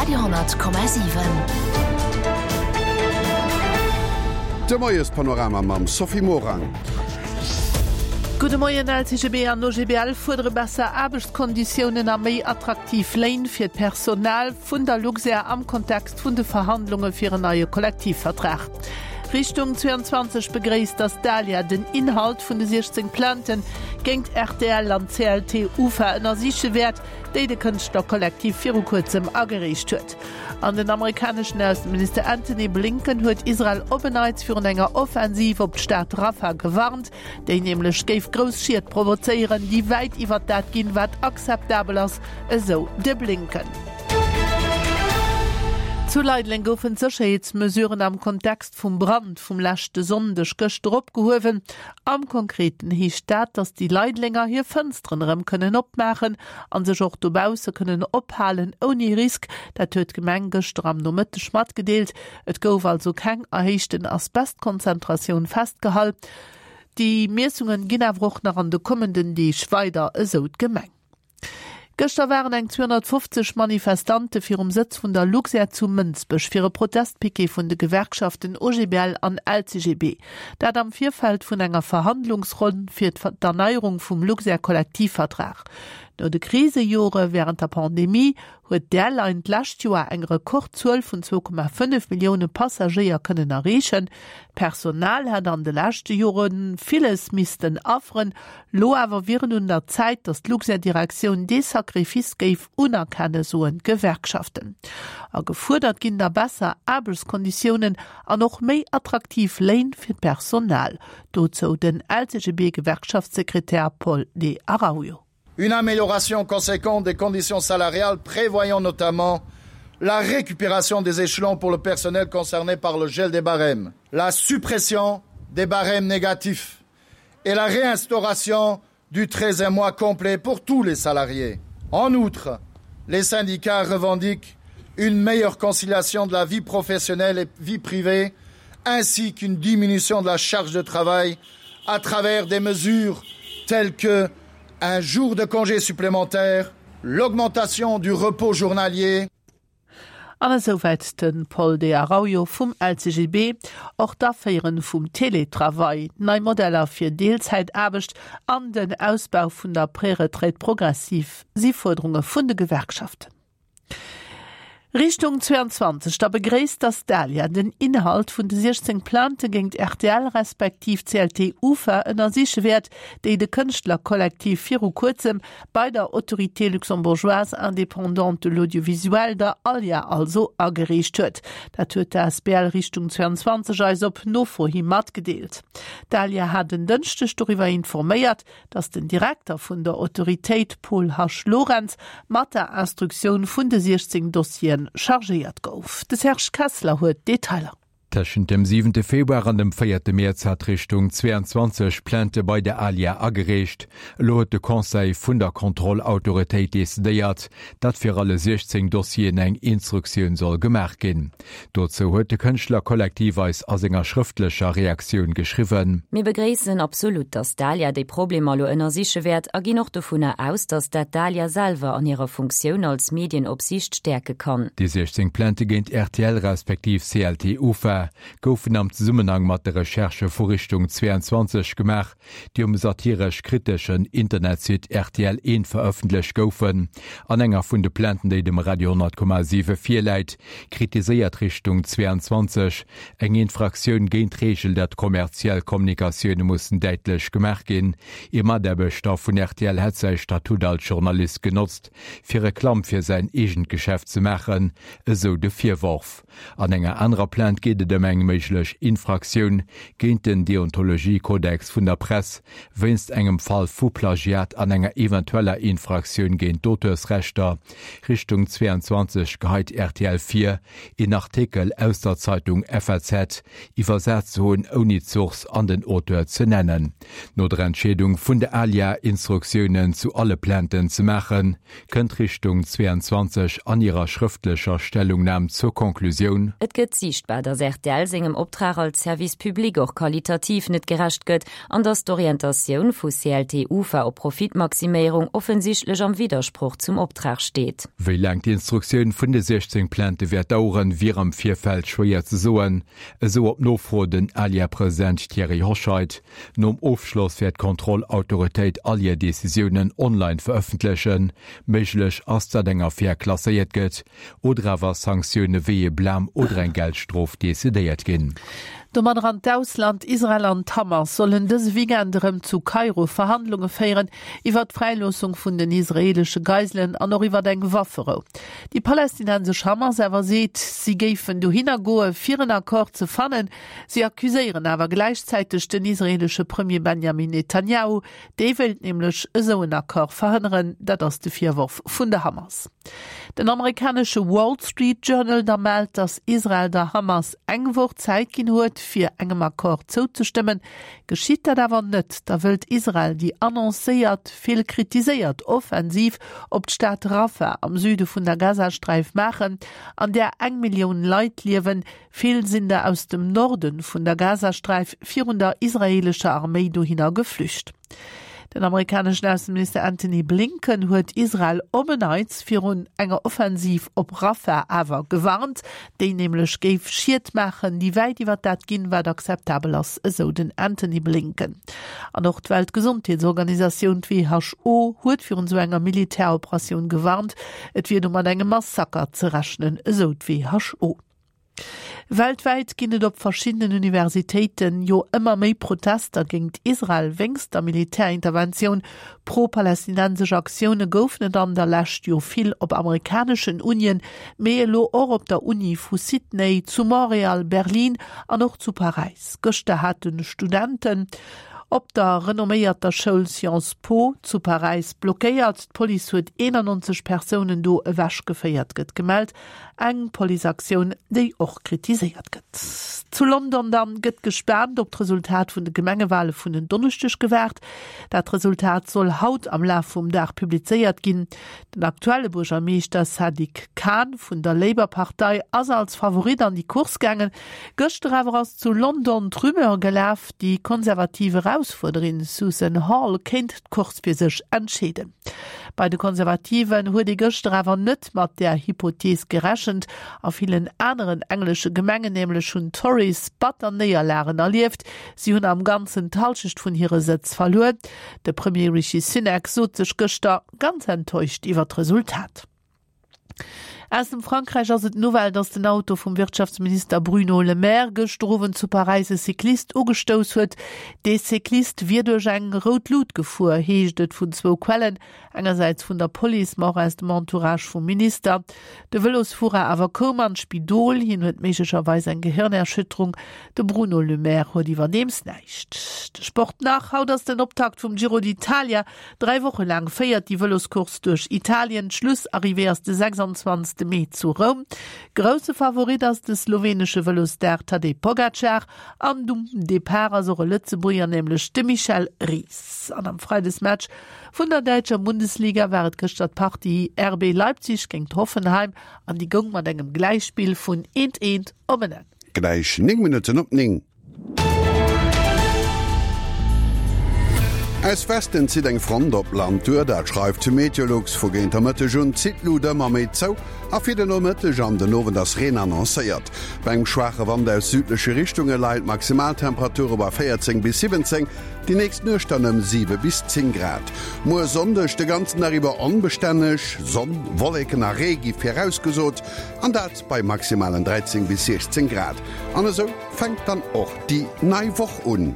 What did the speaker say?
Radio,7. De Moiespanorama mam Sophie Morang. Gudde Moien, LCGB an OGBL fuerdere besser Aarbechtskonditiounen a méi attraktiv Léin fir d'Personal vun der Luxair am Kontext vun de Verhandlunge fir en neie Kollektivvertrag. Richtung 22 begréisst, datt d'ALIA den Inhalt vun de 16 Plainten géingt rtl an CLT UFA ënnersiche wäert, déi de Kënschtlerkollektiv viru kuerzem agereecht huet. An den amerikaneschen Ausseminister Antony Blinken huet Israel op en Neits virun enger Offensiv op d'Stad Rafah gewarnt, déi nämlech géif grouss Schied provozéieren, déi wäit iwwert dat ginn, wat akzeptabel ass, esou de Blinken. Zu Leideleng goufen d'Sécherheetsmesuren am Kontext vum Brand vum leschte Sonndeg gëschter opgehuewen. Am Konkreten heescht dat, datt déi Leidelenger hir Fënsteren erëm kënnen opmaachen a sech och dobausse kënnen ophalen ouni Risk. Dat huet d'Gemeng gëschter am Nomëtteg matgedeelt. Et gouf also keng erhéichten Asbestkonzentratioun festgehall. Déi Miessungen ginn awer och nach an de kommenden Deeg weider, esou d'Gemeng. Gëschter waren eng 250 Manifestante virum Sëtz vun der Luxair zu Mënsbech fir e Protestpiquet vun de Gewerkschaften OGBL an LCGB. Dat am Virfeld vun enger Verhandlungsronn fir d'Erneierung vum Luxair-Kollektivvertrag. No de Krisejore wärend der Pandemie huet d'Airline d'lescht Joer eng Rekordzuel vun 2,5 Millioune Passagéier kënnen erreechen. D'Personal hätt an de leschte Jore villes missten afferen, Lo awer wier et un der Zäit, datt d'Luxair-Direktioun dee Sacrifice géif unerkennen, soen d'Gewerkschaften. A gefuerdert ginn da besser Aarbechtskonditiounen an och méi attraktiv Léin fir d'Personal. Dozou den LCGB-Gewerkschaftssekretär Paul De Araujo. Une amélioration conséquente des conditions salariales prévoyant notamment la récupération des échelons pour le personnel concerné par le gel des barèmes, la suppression des barèmes négatifs et la réinstauration du 13e mois complet pour tous les salariés. En outre, les syndicats revendiquent une meilleure conciliation de la vie professionnelle et vie privée ainsi qu'une diminution de la charge de travail à travers des mesures telles que un jour de congé supplémentaire, l'augmentation du repos journalier, An esouwäit de Paul De Araujo vum LCGB. Och d'Aféieren vum Teletravail, nei Modeller fir Deelzäitaarbecht an den Ausbau vun der Préretraite progressive si Fuerderunge vun de Gewerkschaften. Richtung 22 da begréisst d'Astalia den Inhalt vun de 16 Plainte géingt rtl respektiv CLT Ufa ënnersiche wäert, déi de Kënschtlerkollektiv viru kuerzem bei der Autorité luxembourgeoise indépendante de l'audiovisuel, der ALIA also, agereecht huet. Dat huet d'ASBL Richtung 22 eis op Nofro hi matgedeelt. D'ALIA hat en Dënschdeg doriwwer informéiert, datt den Direkter vun der Autoritéit, Paul Hasch Lorentz, mat der Instruktioun vun de 16 Dossiere chargéiert gouf. De Serge Kessler huet d'Detailer. Tëschent dem siwente Februar an dem véierte Mäerz hat Richtung 22 Plainte bei der ALIA agereecht. Elo huet de Conseil vun der Kontrollautoritéit decidéiert, datt fir alle 16 Dossieren eng Instruktioun soll gemaach ginn. Dozou huet de Kënschtlerkollektiv eis a senger schrëftlecher Reaktioun geschriwwen. Mir begréissen absolut, datt d'ALIA déi Problemer elo ënnersiche wäert a ginn och dovunner aus, datt dat d'ALIA selwer an hirer Funktioun als Medienopsiicht stäerke kann. Déi 16 Plainte géint rtl respektiv CLT Ufa goufen am Zesummenhang mat de Recherchë vu Richtung 22 gemaach, déi um satiresch-kriteschen Internetsite rtl Eent verëffentlecht goufen. An enger vun de Plainten, déi dem Radio 10,7 virläit, kritiséiert Richtung 22 eng Infraktioun géint d'Reegel, datt kommerziell Kommunikatioune mussen däitlech gemaach ginn. Ee Mataarbechter vun rtl hätt säi Statut als Journalist genotzt, fir Reklamm fir säin eegent Geschäft ze maachen, esou de Virworf. An enger anerer Plainte geet et ëm eng méiglech Infraktioun géint den Deontologiekodex vun der Press wéinst engem Fall vu Plagiat an enger eventueller Infraktioun géint d'Auteursrechter. Richtung 22 geheit rtl vir, een Artikel aus der Zeitung FAZ iwwersat ze hunn, ouni d'Source an den Auteur ze nennen. No der Entscheedung vun der ALIA, Instruktiounen zu alle Plainten ze maachen, kënnt Richtung 22 an hirer schrëftlecher Stellungnam zur Conclusioun, Et gëtt siichtbar, datt rtl. rtl sengem Optrag als Service public och qualitativ net gerecht gëtt an datt d'Orientatioun vu CLT-UFA op Profitmaximéierung offensichtlech am Widdersproch zum Optrag steet. Wéi laang d'Instruktioun vun de 16 Plainte wäert daueren, wier am Virfeld schwéier ze soen, esou op Nofro den ALIA-President Thierry Hoscheit. Nom Ofschloss wäert d'Kontrollautoritéit all hir Decisiounen online verëffentlechen. Méiglech ass, datt eng Affär klasséiert gëtt oder awer Sanktioune wéi ee Blam oder eng Geldstrof decidéiert ginn. Domadder an d'Ausland, Israel an d'Hamas sollen dëse Weekend erëm zu Kairo Verhandlunge féieren iwwer d'Fräiloossung vun den israeelesche Geiselen an och iwwer eng Wafferou. Déi palästinensesch Hamas awer seet, si géifen dohinner goe fir en Accord ze fannen. Si accuséieren awer gläichzäiteg den israeelesche Premier Benjamin Netanjahu, dee wéilt nämlech esou en Accord verhënneren. Dat ass de Virworf vun der Hamas. Den amerikanesche Wall Street Journal da mellt, datt Israel der Hamas eng Woch Zäit ginn huet, fir engem Accord zouzestëmmen. Geschitt dat awer net, da wëllt Israel déi annoncéiert, vill kritiséiert Offensiv op d'Stad Rafah am Süde vun der Gazasträif maachen, an där eng Millioun Leit liewen. Vill sinn der aus dem Norde vun der Gazasträif virun der israeelescher Arméi dohinner geflücht. Den amerikaneschen Ausseminister Antony Blinken huet Israel op en Neits virun enger Offensiv op Rafah awer gewarnt, déi nämlech géif Schied maachen, déi wäit iwwer dat ginn, wat akzeptabel ass, esou den Antony Blinken. An och d'Weltgesondheetsorganisatioun, d'WHO, huet virun esou enger Militäroperatioun gewarnt. Et wier do mat engem Massaker ze rechnen, esou d'WHO. Weltwäit ginn et op verschiddenen Universitéiten jo ëmmer méi Protester géingt Israel wéinst der Militärinterventioun. Pro-palästinensesch Aktioune goufen et an der Lescht jo vill op amerikaneschen Unien, mee elo och op der Uni vu Sydney, zu Montréal, Berlin an och zu Paräis. Gëschter hate Studenten op der renomméierter Schoul Sciences Po zu Paräis blockéiert. D'Police huet 91 Persounen do ewechgeféiert, gëtt gemellt. Eng Policeaktioun, déi och kritiséiert gëtt. Zu London dann gëtt gespaant op d'Resultat vun de Gemengewale vun en Donneschdeg gewaart. Dat Resultat soll haut am Laf vum Dag publizéiert ginn. Den aktuelle Buergermeeschter Sadiq Khan vun der Labour-Partei ass als Favorit an déi Course gaangen. Gëschter awer ass zu London d'Rumeur gelaf, déi konservativ Erausfuerderin Susan Hall kéint d'Course fir sech entscheeden. Bei de Konservativen huet ee gëschter awer net mat där Hypothees gerechent. A villen aneren englesche Gemengen nämlech hunn d'Tories batter Néierlagen erlieft. Si hunn am Ganzen d'Hallschecht vun hire Sëtz verluer. De Premier Rishi Sunak sot sech gëschter ganz enttäuscht iwwer d'Resultat. Aus dem Frankräich ass et d'Nouvelle, datt den Auto vum Wirtschaftsminister Bruno Le Maire gëschter Owend zu Paräis e Cyclist ugestouss huet. Dee Cyclist wier duerch eng rout Lut gefuer, heescht et vun zwou Quellen, engersäits vun der Police, ma och aus dem Entourage vum Minister. De Vëlosfuerer awer koum an d'Spidol, hien huet méiglecherweis eng Gehirnerschütterung. De Bruno Le Maire huet iwwerdeems näischt. De Sport nach, Haut ass den Optakt vum Giro d'Italia. Dräi Woche laang féiert déi Vëloscourse duerch Italien. D'Schlussarrivée ass de 26 Mee zu Roum. Grousse Favorit ass de slowenesche Vëlosstar Tadej Pogacar an um Depart ass och e Lëtzebuerger, nämlech de Michel Ries. An am Freidesmatch vun der däitscher Bundesliga war et gëschter d'Partie RB Leipzig géint Hoffenheim an déi goung mat engem Gläichspill vun 1, 1 op en Enn. Gläich 9 Minutten op 9. Aus Westen zitt eng Front op d'Land duer, dat schreift Meteolux. Vu géint der Mëtteg un zitt d'Lut ëmmer méi zou a fir de Nomëtteg an den Owend ass Reen annoncéiert. Bei engem schwaache Wand aus südleche Richtunge leien d'Maximaltemperature bei 14 bis 17, déi nächst Nuecht dann ëm 7 bis 10 Grad. Muer Sonndeg de ganzen Dag iwwer onbestänneg, Sonn, Wolleken a Ree gi virausgesot an dat bei maximalen 13 bis 16 Grad. An esou fänkt dann och déi nei Woch un.